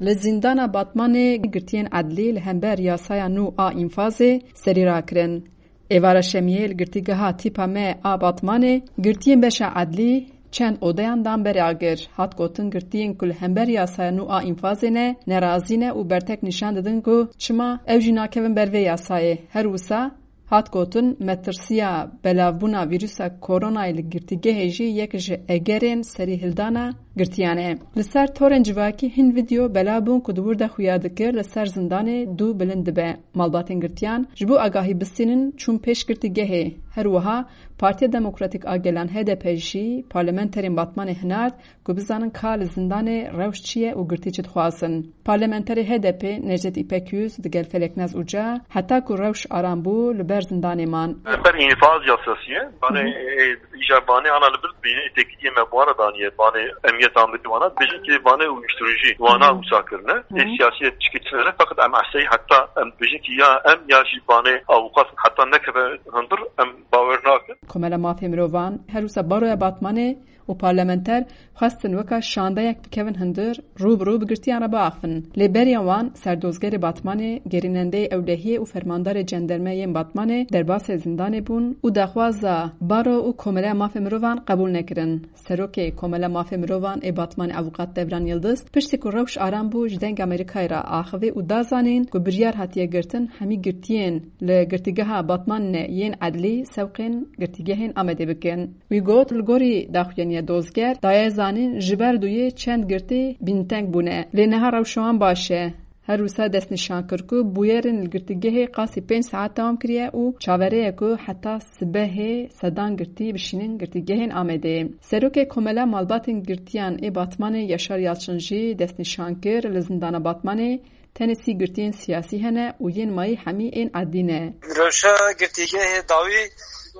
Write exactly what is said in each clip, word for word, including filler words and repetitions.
Li zîndana Batmanê girtiyên edlî li hember yasaya nû a înfazê serî rakirin. Êvara Şemiyê li girtîgeha tîpa me a Batmanê girtiyên beşa edlî çend odeyan dan berê agir. Hat gotin, girtiyên ku li hember yasaya nû a înfazê ne, nerazî ne û bertek nîşan didin ku çima ew jî nakevin ber vê yasayê. Her wisa, hat gotin, metirsiya belavbûna vîrusa koronayê li girtîgehê jî yek ji egerên serîhildana girtiyan e. Li ser torên civakî hin vîdeo belav bûn ku di wir de xuya dikir li ser zindanê dû bilind dibe. Malbatên girtiyan ji bo agahî bistînin çûn pêş girtîgehê. Her wiha Partiya Demokratîk a Gelan, H D P, jî parlamenterên Batmanê hinard ku bizanin ka li zindanê rewş çi ye û girtî çi dixwazin. Parlamenterê H D P Necdet İpek Yüz digel Feleknaz Uca, heta ku rewş aram bû, li ber zindanê man. Ser înfaz yasasî ye. Banê, Hı hı. e, îja banê ana li bir bîne têkiliyê me bi wana daniye. Banê emniyet amiri wana. Dibêjin ki banê uyuşturucu wana Hı hı. wisa kirine. Hı hı. Ê siyasî ye çikî tine ne. Feqet em ehseyî heta em dibêjin ki ya em ya jî banê avukat heta nekeve hundir em bawer nakin. Komela Mafê Mirovan her wisa Baroya Batmanê û parlamenter xwestin weka şandeyek bikevin hundir, rû bi rû bi girtiyan re biaxivin. Lê beriya wan, serdozgerê Batmanê, gerînendeyê ewlehiyê û fermandarê cenderme yên Batmanê derbasê zindanê bûn û daxwaza Baro û Komeleya Mafê Mirovan qebûl nekirin. Serokê Komela Mafê Mirovan ê Batmanê Avûkat Devran Yildiz, piştî ku rewş aram bû, ji Dengê Amerîkayê re axivî û da zanîn ku biryar hatiye girtin hemî girtiyên li girtîgeha Batmanê yên edlî sewqên girtîgehên Amedê bikin. Wî got, li gorî daxuyaniya dozger daye zanîn, ji ber duyê çend girtî bînteng bûne. Lê niha rewşa wan baş e. Her wisa destnîşan kir ku bûyerên li girtîgehê qasî pênc saet dewam kiriye û çaverê ye ku heta sibehê sedan girtî bişînin girtîgehên Amedê. Serokê Komela Malbatên Girtiyan ê Batmanê Yaşar Yalçın jî destnîşan kir, li zindana Batmanê tenê sî girtiyên siyasî hene û yên mayî hemî ên edlî ne. Rewşa girtîgehê dawî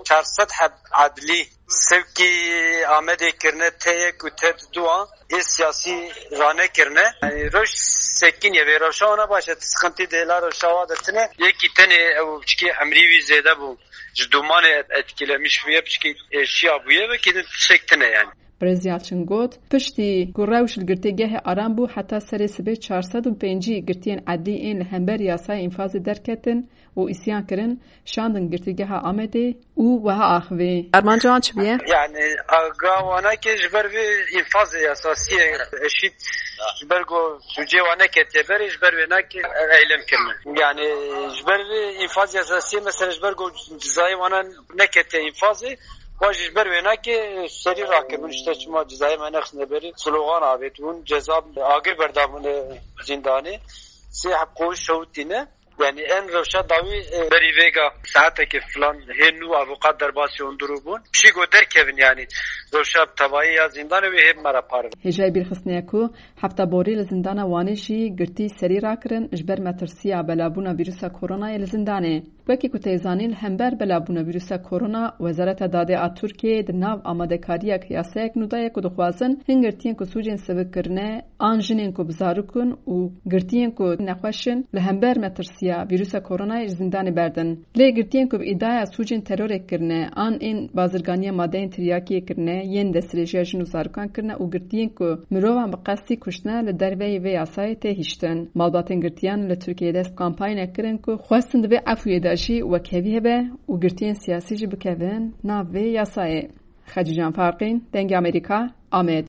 çar sed heb edlî sewkî Amedê kirine, T yek û T duan ê siyasî ranekirine. Yani rewş sekiniye, vê rewşa wana baş e, sıkıntı dê la rewşa wa de tine. Yekî tenê ew piçkî emrî wî zêde bû. Ji dumanê et-, etkilemiş bûye, piçkî êşiya bûye, wekî din tiştek tine yani. Birêz Yalçın got, piştî ku rewş li girtîgehê aram bû, heta serê sibê çar sed û pêncî girtiyên edlî ên li hember yasaya înfazê derketin û îsyan kirin, şandin girtîgeha Amedê û wiha axivî. Armanca wan çi bûye? Yani aga wana ke ji ber vê înfazê yasasiyê eşît ji ber ku sûcê wan neketiye berê, ji ber wê nake eylem kirine. Yani ji ber vê înfaz yasasiyê, mesela ji ber ku cizayê wana neketiye înfazê, Wa jî ji ber wêna ki serî rakiribûn, işte çima cezayê me nexistine berî, slogan avêtibûn, ceza agir berdabûne zîndanê. Sê heb qoş şewitîne. Yani en rewşa dawî, e, berî vêga saetekê filan hê nû avûqat derbasî hundirû bûn. Pişî ku derkevin yani rewşa tevayî ya zîndanê wê hê me re parve. Hêjayî bîrxistinê ye ku hefta borî li zîndana Wanê jî girtî serî rakirin ji ber metirsiya belavbûna vîrusa koronayê li zîndanê. Wekî ku tê zanîn, li hember belavbûna vîrusa korona, Wezareta Dadê a Tirkiyeyê di nav amadekariya yasayek nû daye ku dixwazin hin girtiyên ku sûcên sivik kirine, an jinên ku bi zarok in û girtiyên ku nexweş in, li hember metirsiya vîrusa koronayê ji zîndanê berdin. Lê girtiyên ku bi îdaya sûcên terorê kirine, an ên bazirganiya madeyên tiryakiyê kirine, yên destdirêjiya jin û zarokan kirine û girtiyên ku mirovan bi qestî kuştine li derveyî vê yasayê tê hiştin. Malbatên girtiyan li Tirkiyeyê dest bi kampanynek kirin ku xwestin di vê efûyê de jî wekhevî hebe û girtiyên siyasî jî bikevin nav vê yasayê. Xecîcan Farqîn, Dengê Amerîka, Amed.